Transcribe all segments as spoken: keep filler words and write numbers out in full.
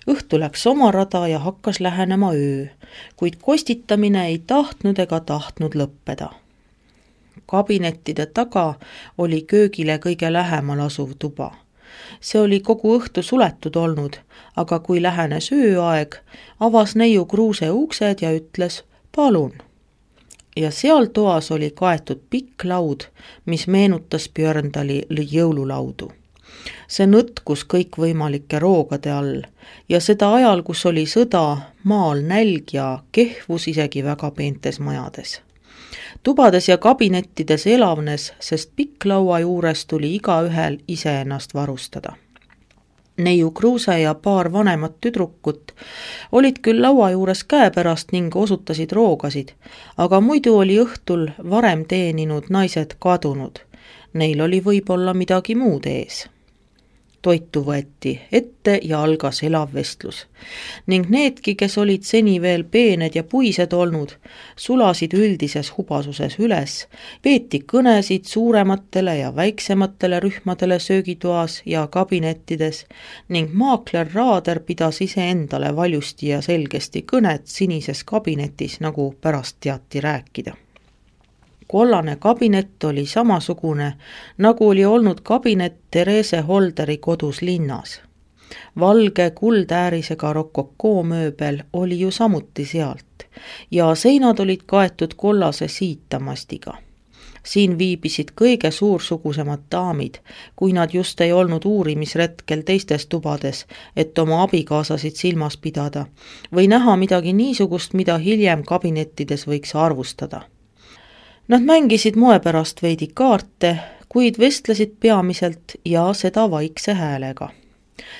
Õhtu läks oma rada ja hakkas lähenema öö, kuid kostitamine ei tahtnud ega tahtnud lõppeda. Kabinettide taga oli köögile kõige lähemal asuv tuba. See oli kogu õhtu suletud olnud, aga kui lähenes ööaeg, avas neiu Kruuse uksed ja ütles palun. Ja seal toas oli kaetud pikk laud, mis meenutas Björndali jõululaudu. See nõtkus kõikvõimalike roogade all ja seda ajal, kus oli sõda, maal nälg ja kehvus isegi väga peentes majades. Tubades ja kabinettides elavnes, sest pikklaua juures tuli igaühel ise ennast varustada. Neiu Kruuse ja paar vanemat tüdrukut olid küll laua juures käepärast ning osutasid roogasid, aga muidu oli õhtul varem teeninud naised kadunud. Neil oli võib-olla midagi muud ees. Toitu võeti ette ja algas elav vestlus. Ning needki, kes olid seni veel peened ja puised olnud, sulasid üldises hubasuses üles, peeti kõnesid suurematele ja väiksematele rühmadele söögitoas ja kabinettides ning maakler Raader pidas ise endale valjusti ja selgesti kõnet sinises kabinetis, nagu pärast teati rääkida. Kollane kabinet oli samasugune, nagu oli olnud kabinet Therese Holderi kodus linnas. Valge kuldäärisega rokokoomööbel oli ju samuti sealt ja seinad olid kaetud kollase siitamastiga. Siin viibisid kõige suursugusemad daamid, kui nad just ei olnud uurimisretkel teistes tubades, et oma abikaasasid silmas pidada või näha midagi niisugust, mida hiljem kabinettides võiks arvustada. Nad mängisid moe pärast veidi kaarte, kuid vestlesid peamiselt ja seda vaikse häälega.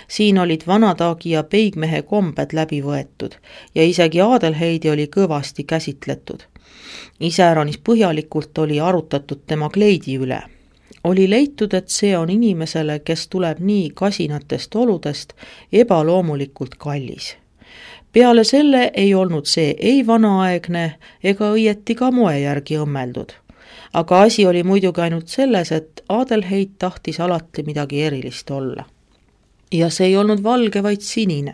Siin olid vanataagi ja peigmehe kombed läbi võetud ja isegi Adelheidi oli kõvasti käsitletud. Iseäranis põhjalikult oli arutatud tema kleidi üle. Oli leitud, et see on inimesele, kes tuleb nii kasinatest oludest, ebaloomulikult kallis. Peale selle ei olnud see ei vanaaegne ega õieti ka moe järgi õmmeldud. Aga asi oli muidugi ainult selles, et Adelheid tahtis alati midagi erilist olla. Ja see ei olnud valge, vaid sinine.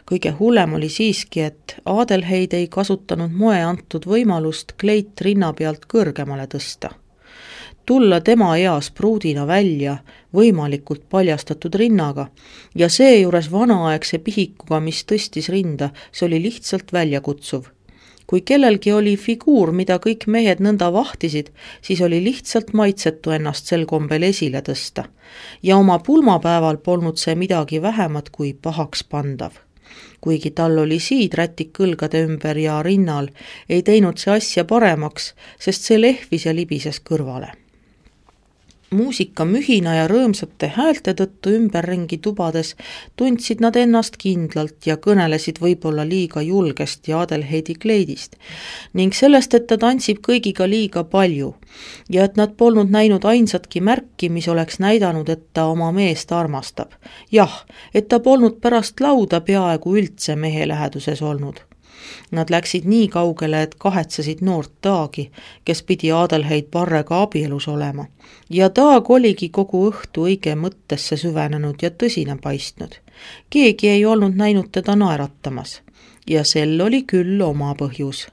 Kõige hullem oli siiski, et Adelheid ei kasutanud moe antud võimalust kleit rinna pealt kõrgemale tõsta. Tulla tema eas pruudina välja võimalikult paljastatud rinnaga ja seejuures vanaaegse pihikuga, mis tõstis rinda, see oli lihtsalt väljakutsuv. Kui kellelgi oli figuur, mida kõik mehed nõnda vahtisid, siis oli lihtsalt maitsetu ennast sel kombel esile tõsta ja oma pulmapäeval polnud see midagi vähemat kui pahaks pandav. Kuigi tal oli siidrätik kõlgade ümber ja rinnal, ei teinud see asja paremaks, sest see lehvis ja libises kõrvale. Muusika mühina ja rõõmsate häälte tõttu ümberringi tubades tundsid nad ennast kindlalt ja kõnelesid võib-olla liiga julgesti Adelheidi kleidist ning sellest, et ta tantsib kõigiga liiga palju ja et nad polnud näinud ainsatki märki, mis oleks näidanud, et ta oma meest armastab. Jah, et ta polnud pärast lauda peaaegu üldse mehe läheduses olnud. Nad läksid nii kaugele, et kahetsesid noort Taagi, kes pidi Adelheid Parrega abielus olema. Ja Taag oligi kogu õhtu õige mõttesse süvenenud ja tõsine paistnud. Keegi ei olnud näinud teda naeratamas. Ja sel oli küll oma põhjus.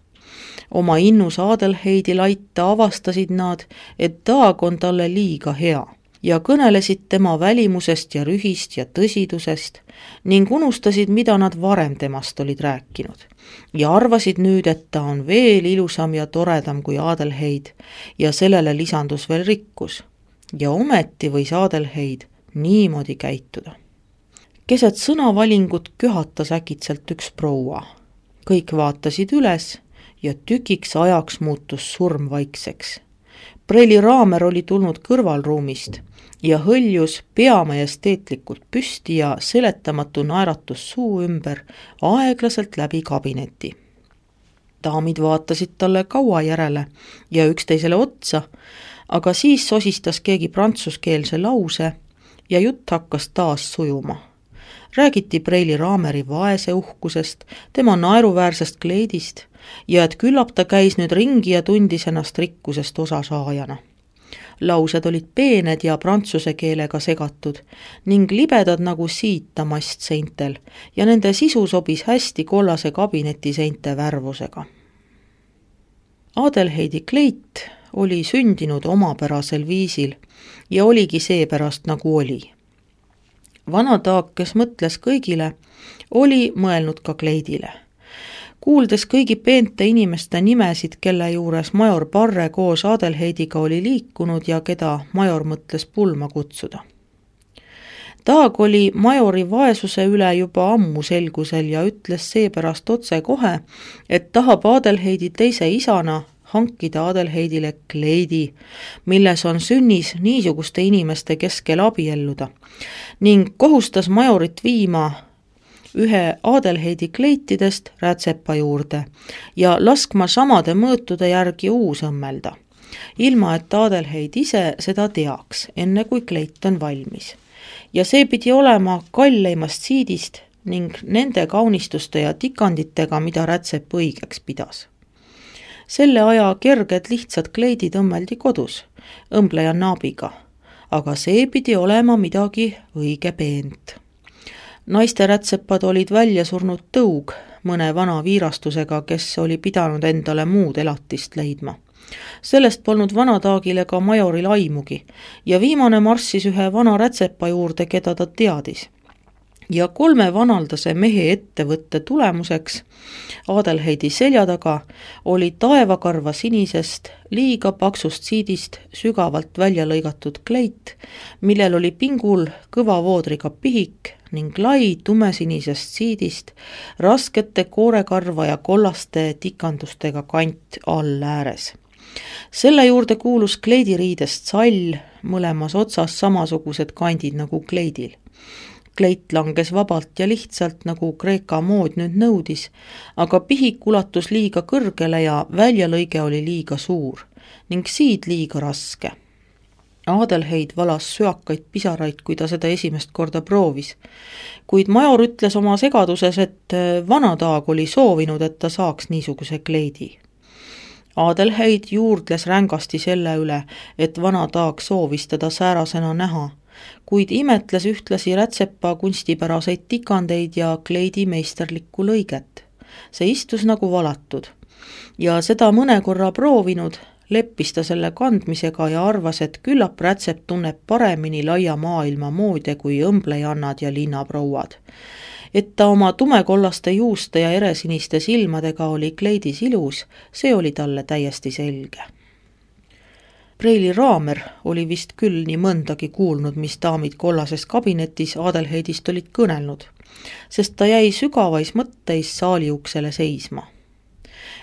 Oma innus Adelheidi laita avastasid nad, et Taag on talle liiga hea ja kõnelesid tema välimusest ja rühist ja tõsidusest ning unustasid, mida nad varem temast olid rääkinud. Ja arvasid nüüd, et ta on veel ilusam ja toredam kui Adelheid ja sellele lisandus veel rikkus. Ja ometi võis Adelheid niimoodi käituda. Keset sõnavalingut köhatas äkitselt üks proua. Kõik vaatasid üles ja tükiks ajaks muutus surm vaikseks. Preili Raamer oli tulnud kõrvalruumist ja hõljus peamajesteetlikult püsti ja seletamatu naeratus suu ümber aeglaselt läbi kabineti. Daamid vaatasid talle kaua järele ja üksteisele otsa, aga siis sosistas keegi prantsuskeelse lause ja jutt hakkas taas sujuma. Räägiti Preili Raameri vaese uhkusest, tema naeruväärsest kleidist ja et küllap ta käis nüüd ringi ja tundis ennast rikkusest osasaajana. Laused olid peened ja prantsuse keelega segatud ning libedad nagu siitamast seintel ja nende sisu sobis hästi kollase kabineti seinte värvusega. Adelheidi kleit oli sündinud omapärasel viisil ja oligi seepärast nagu oli. Vana Taag, kes mõtles kõigile, oli mõelnud ka kleidile. Kuuldes kõigi peente inimeste nimesid, kelle juures major Parre koos Adelheidiga oli liikunud ja keda major mõtles pulma kutsuda. Taag oli majori vaesuse üle juba ammu selgusel ja ütles seepärast otse kohe, et tahab Adelheidi teise isana hankida Adelheidile kleidi, milles on sünnis niisuguste inimeste keskel abielluda ning kohustas majorit viima ühe Adelheidi kleitidest rätsepa juurde ja laskma samade mõõtude järgi uus õmmelda, ilma et Adelheid ise seda teaks, enne kui kleit on valmis. Ja see pidi olema kalleimast siidist ning nende kaunistuste ja tikanditega, mida rätsep õigeks pidas. Selle aja kerged lihtsad kleidid õmmeldi kodus, õmbleja naabiga, aga see pidi olema midagi õige peent. Naiste rätsepad olid välja surnud tõug mõne vana viirastusega, kes oli pidanud endale muud elatist leidma. Sellest polnud Vana Taagile ka majoril aimugi ja viimane marssis ühe vana rätsepa juurde, keda ta teadis. Ja kolme vanaldase mehe ettevõtte tulemuseks Adelheidi selja taga oli taevakarva sinisest, liiga paksust siidist sügavalt välja lõigatud kleit, millel oli pingul kõva voodriga pihik ning lai tumesinisest siidist raskete koorekarva ja kollaste tikandustega kant all ääres. Selle juurde kuulus kleidiriidest sall, mõlemas otsas samasugused kandid nagu kleidil. Kleit langes vabalt ja lihtsalt, nagu Kreeka mood nüüd nõudis, aga pihik ulatus liiga kõrgele ja väljalõige oli liiga suur ning siid liiga raske. Adelheid valas süakaid pisaraid, kui ta seda esimest korda proovis, kuid major ütles oma segaduses, et Vana Taag oli soovinud, et ta saaks niisuguse kleidi. Adelheid juurdles rängasti selle üle, et Vana Taag soovis teda säärasena näha, kuid imetles ühtlasi rätsepa kunstipäraseid tikandeid ja kleidi meisterlikku lõiget. See istus nagu valatud ja seda mõne korra proovinud, leppis ta selle kandmisega ja arvas, et küllap rätsep tunneb paremini laia maailma moode kui õmblejannad ja linnaprouad. Et ta oma tumekollaste juuste ja eresiniste silmadega oli kleidis ilus, see oli talle täiesti selge. Preili Raamer oli vist küll nii mõndagi kuulnud, mis daamid kollases kabinetis Adelheidist olid kõnelnud, sest ta jäi sügavais mõtteis saali uksele seisma.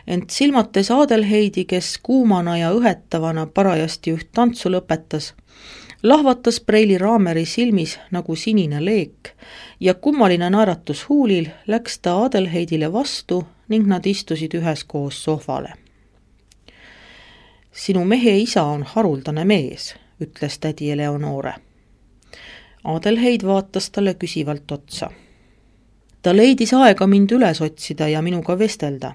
Ent silmates Adelheidi, kes kuumana ja õhetavana parajasti üht tantsu lõpetas, lahvatas Preili Raameri silmis nagu sinine leek ja kummaline naeratus huulil läks ta Adelheidile vastu ning nad istusid üheskoos sohvale. Sinu mehe isa on haruldane mees, ütles tädi Eleonore. Adelheid vaatas talle küsivalt otsa. Ta leidis aega mind üles otsida ja minuga vestelda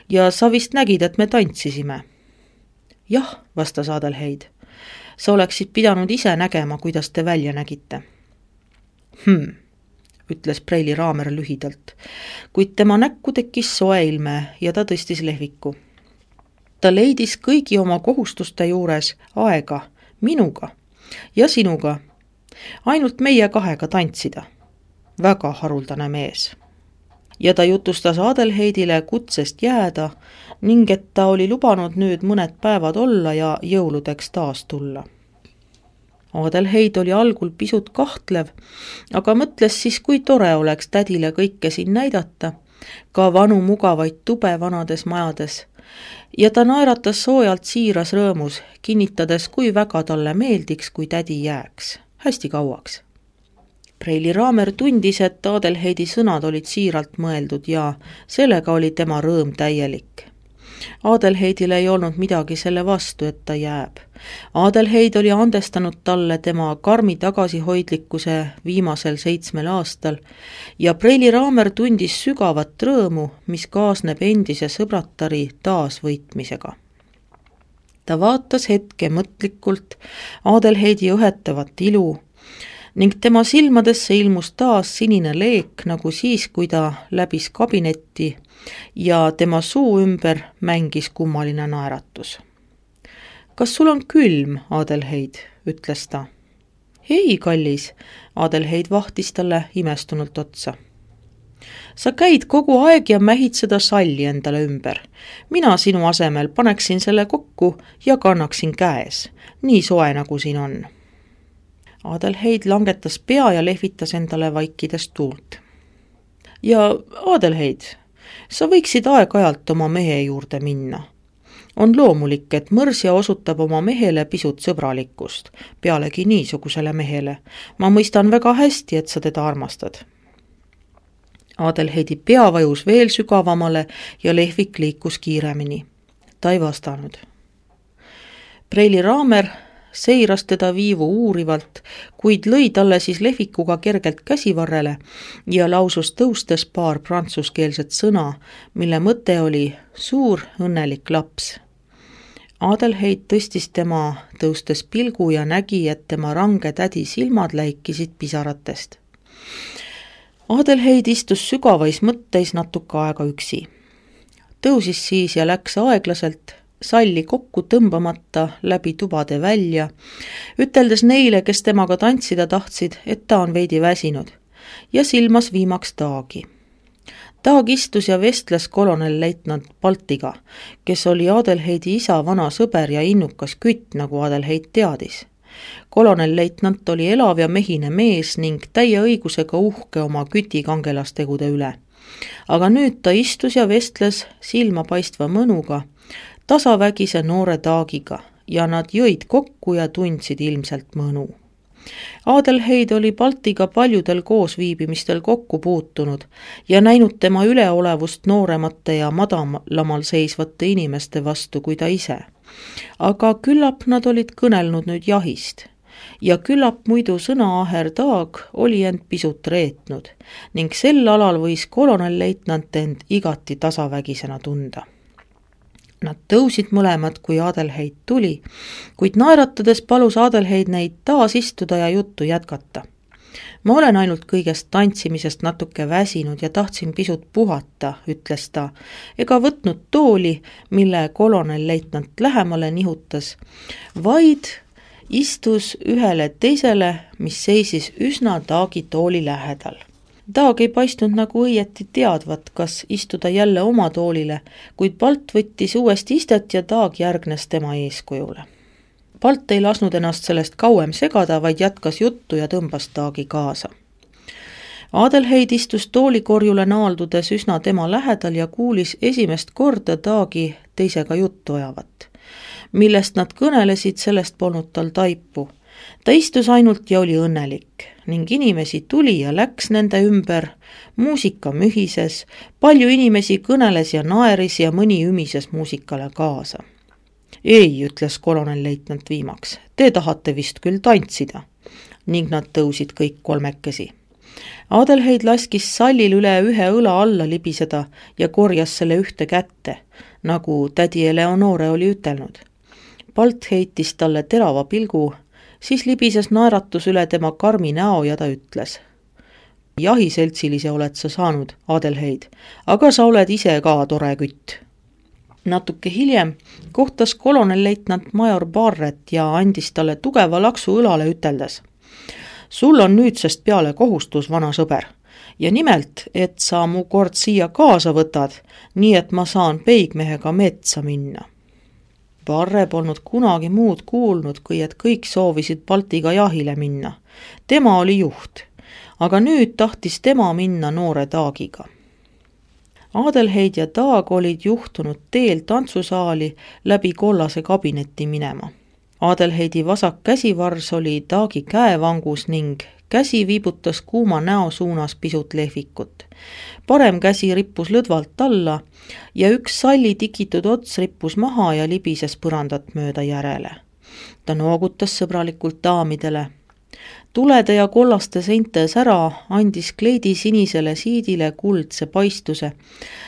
ja sa vist nägid, et me tantsisime. Jah, vastas Adelheid. Sa oleksid pidanud ise nägema, kuidas te välja nägite. Hmm, ütles Preili Raamer lühidalt, kuid tema näkku tekkis soe ilme ja ta tõstis lehviku. Ta leidis kõigi oma kohustuste juures aega minuga ja sinuga, ainult meie kahega tantsida. Väga haruldane mees. Ja ta jutustas Adelheidile kutsest jääda ning et ta oli lubanud nüüd mõned päevad olla ja jõuludeks taas tulla. Adelheid oli algul pisut kahtlev, aga mõtles siis, kui tore oleks tädile kõike siin näidata, ka vanu mugavaid tube vanades majades, ja ta naeratas soojalt siiras rõõmus, kinnitades, kui väga talle meeldiks, kui tädi jääks, hästi kauaks. Preili Raamer tundis, et Adelheidi sõnad olid siiralt mõeldud ja sellega oli tema rõõm täielik. Adelheidil ei olnud midagi selle vastu, et ta jääb. Adelheid oli andestanud talle tema karmi tagasihoidlikkuse viimasel seitsmel aastal ja Preili Raamer tundis sügavat rõõmu, mis kaasneb endise sõbratari taasvõitmisega. ta vaatas hetke mõtlikult Adelheidi õhetavat ilu ning tema silmadesse ilmus taas sinine leek, nagu siis, kui ta läbis kabinetti ja tema suu ümber mängis kummaline naeratus. Kas sul on külm, Adelheid, ütles ta. Ei, kallis, Adelheid vahtis talle imestunult otsa. Sa käid kogu aeg ja mähid seda salli endale ümber. Mina sinu asemel paneksin selle kokku ja kannaksin käes, nii soe nagu siin on. Adelheid langetas pea ja lehvitas endale vaikides tuult. Ja Adelheid, sa võiksid aeg-ajalt oma mehe juurde minna. On loomulik, et mõrsja osutab oma mehele pisut sõbralikkust, pealegi niisugusele mehele. Ma mõistan väga hästi, et sa teda armastad. Adelheidi pea vajus veel sügavamale ja lehvik liikus kiiremini. Ta ei vastanud. Preili Raamer seiras teda viivu uurivalt, kuid lõi talle siis lehvikuga kergelt käsivarrele ja lausus tõustes paar prantsuskeelset sõna, mille mõte oli suur õnnelik laps. Adelheid tõstis tema tõustes pilgu ja nägi, et tema range tädi silmad läikisid pisaratest. Adelheid istus sügavais mõtteis natuke aega üksi. Tõusis siis ja läks aeglaselt, salli kokku tõmbamata läbi tubade välja, üteldes neile, kes temaga tantsida tahtsid, et ta on veidi väsinud, ja silmas viimaks Taagi. Taag istus ja vestles kolonelleitnant Baltiga, kes oli Adelheidi isa vana sõber ja innukas kütt, nagu Adelheid teadis. Kolonelleitnant oli elav ja mehine mees ning täie õigusega uhke oma küti kangelastegude üle. Aga nüüd ta istus ja vestles silmapaistva mõnuga, tasavägise noore Taagiga ja nad jõid kokku ja tundsid ilmselt mõnu. Adelheid oli Baltiga paljudel koosviibimistel kokku puutunud ja näinud tema üleolevust nooremate ja madalamal seisvate inimeste vastu kui ta ise. Aga küllap nad olid kõnelnud nüüd jahist ja küllap muidu sõnaaher Taag oli end pisut reetnud ning sel alal võis kolonelleitnant end igati tasavägisena tunda. Nad tõusid mõlemad, kui Adelheid tuli, kuid naeratades palus Adelheid neid taas istuda ja juttu jätkata. Ma olen ainult kõigest tantsimisest natuke väsinud ja tahtsin pisut puhata, ütles ta, ega võtnud tooli, mille kolonelleitnant lähemale nihutas, vaid istus ühele teisele, mis seisis üsna Taagi tooli lähedal. Taag ei paistnud nagu õieti teadvat, kas istuda jälle oma toolile, kuid Balt võttis uuesti istet ja Taag järgnes tema eeskujule. Balt ei lasnud ennast sellest kauem segada, vaid jätkas juttu ja tõmbas Taagi kaasa. Adelheid istus toolikorjule naaldudes üsna tema lähedal ja kuulis esimest korda Taagi teisega juttu ajavat. Millest nad kõnelesid, sellest polnud tal taipu. Ta istus ainult ja oli õnnelik ning inimesi tuli ja läks nende ümber, muusika mühises, palju inimesi kõneles ja naeris ja mõni ümises muusikale kaasa. Ei, ütles kolonelleitnant viimaks, te tahate vist küll tantsida, ning nad tõusid kõik kolmekesi. Adelheid laskis sallil üle ühe õla alla libiseda ja korjas selle ühte kätte, nagu tädi Eleonore oli ütelnud. Balt heitis talle terava pilgu, siis libises naeratus üle tema karmi näo ja ta ütles. Jahiseltsilise oled sa saanud, Adelheid, aga sa oled ise ka tore kütt. Natuke hiljem kohtas kolonelleitnant major Barret ja andis talle tugeva laksu õlale üteldes. Sul on nüüdsest peale kohustus, vana sõber, ja nimelt, et sa mu kord siia kaasa võtad, nii et ma saan peigmehega metsa minna. Barre polnud kunagi muud kuulnud, kui et kõik soovisid Baltiga jahile minna. Tema oli juht, aga nüüd tahtis tema minna noore Taagiga. Adelheid ja Taag olid juhtunud teel tantsusaali läbi kollase kabinetti minema. Adelheidi vasak käsivars oli Taagi käevangus ning käsi viibutas kuuma näo suunas pisut lehvikut. Parem käsi rippus lõdvalt alla ja üks salli tikitud ots rippus maha ja libises põrandat mööda järele. Ta noogutas sõbralikult daamidele. tulede ja kollaste seinte sära andis kleidi sinisele siidile kuldse paistuse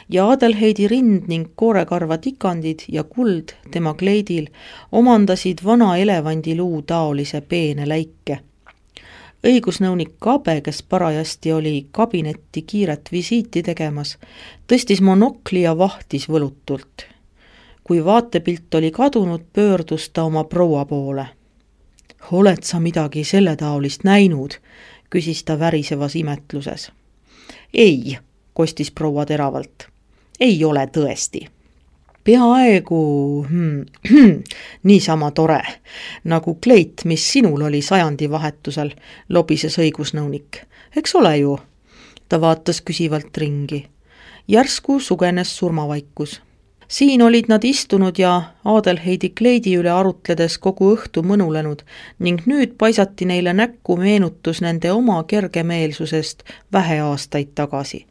ja Adelheidi rind ning koorekarva tikandid ja kuld tema kleidil omandasid vana elevandiluu taolise peene läike. Õigusnõunik Kabe, kes parajasti oli kabinetti kiiret visiiti tegemas, tõstis monokli ja vahtis võlutult. Kui vaatepilt oli kadunud, pöördus ta oma proua poole. Oled sa midagi selle taolist näinud, küsis ta värisevas imetluses. Ei, kostis proua teravalt. Ei ole tõesti. Peaaegu hmm, niisama tore, nagu kleit, mis sinul oli sajandi vahetusel, lobises õigusnõunik. Eks ole ju? Ta vaatas küsivalt ringi. Järsku sugenes surmavaikus. Siin olid nad istunud ja Adelheidi kleidi üle arutledes kogu õhtu mõnulenud ning nüüd paisati neile näkku meenutus nende oma kergemeelsusest vähe aastaid tagasi.